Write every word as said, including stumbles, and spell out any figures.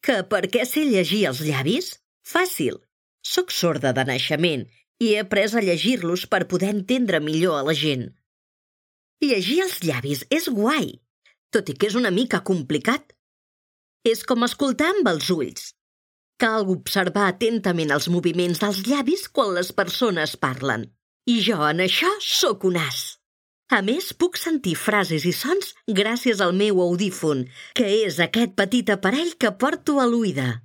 Que per què sé llegir els llavis? Fàcil. Soc sorda de naixement i he après a llegir-los per poder entendre millor a la gent. Llegir els llavis és guai, tot i que és una mica complicat. És com escoltar amb els ulls. Cal observar atentament els moviments dels llavis quan les persones parlen. I jo en això sóc un as. A més, puc sentir frases i sons gràcies al meu audífon, que és aquest petit aparell que porto a l'oïda.